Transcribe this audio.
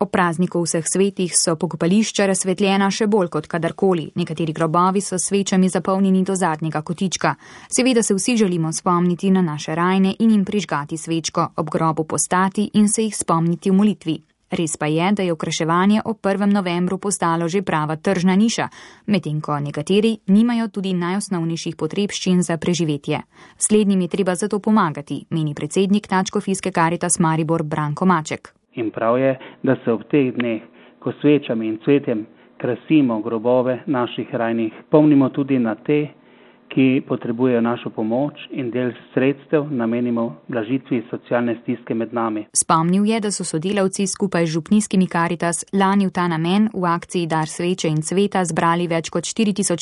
Ob prazniku vseh svetih so pokopališča razsvetljena še bolj kot kadarkoli. Nekateri grobovi so s svečami zapolnjeni do zadnjega kotička. Seveda se vsi želimo spomniti na naše rajne in jim prižgati svečko, ob grobu postati in se jih spomniti v molitvi. Res pa je, da je okraševanje ob 1. novembru postalo že prava tržna niša, medtem ko nekateri nimajo tudi najosnovnejših potrebščin za preživetje. Slednjim je treba zato pomagati, meni predsednik Nadškofijske Karitas Maribor Branko Maček. In prav je, da se ob teh dneh, ko svečami in cvetjem krasimo grobove naših rajnih, spomnimo tudi na te, ki potrebujejo našo pomoč in del sredstev namenimo blažitvi socialne stiske med nami. Spomnil je, da so sodelavci skupaj z župnijskimi Karitas lani v ta namen v akciji Dar sveče in cveta zbrali več kot 4400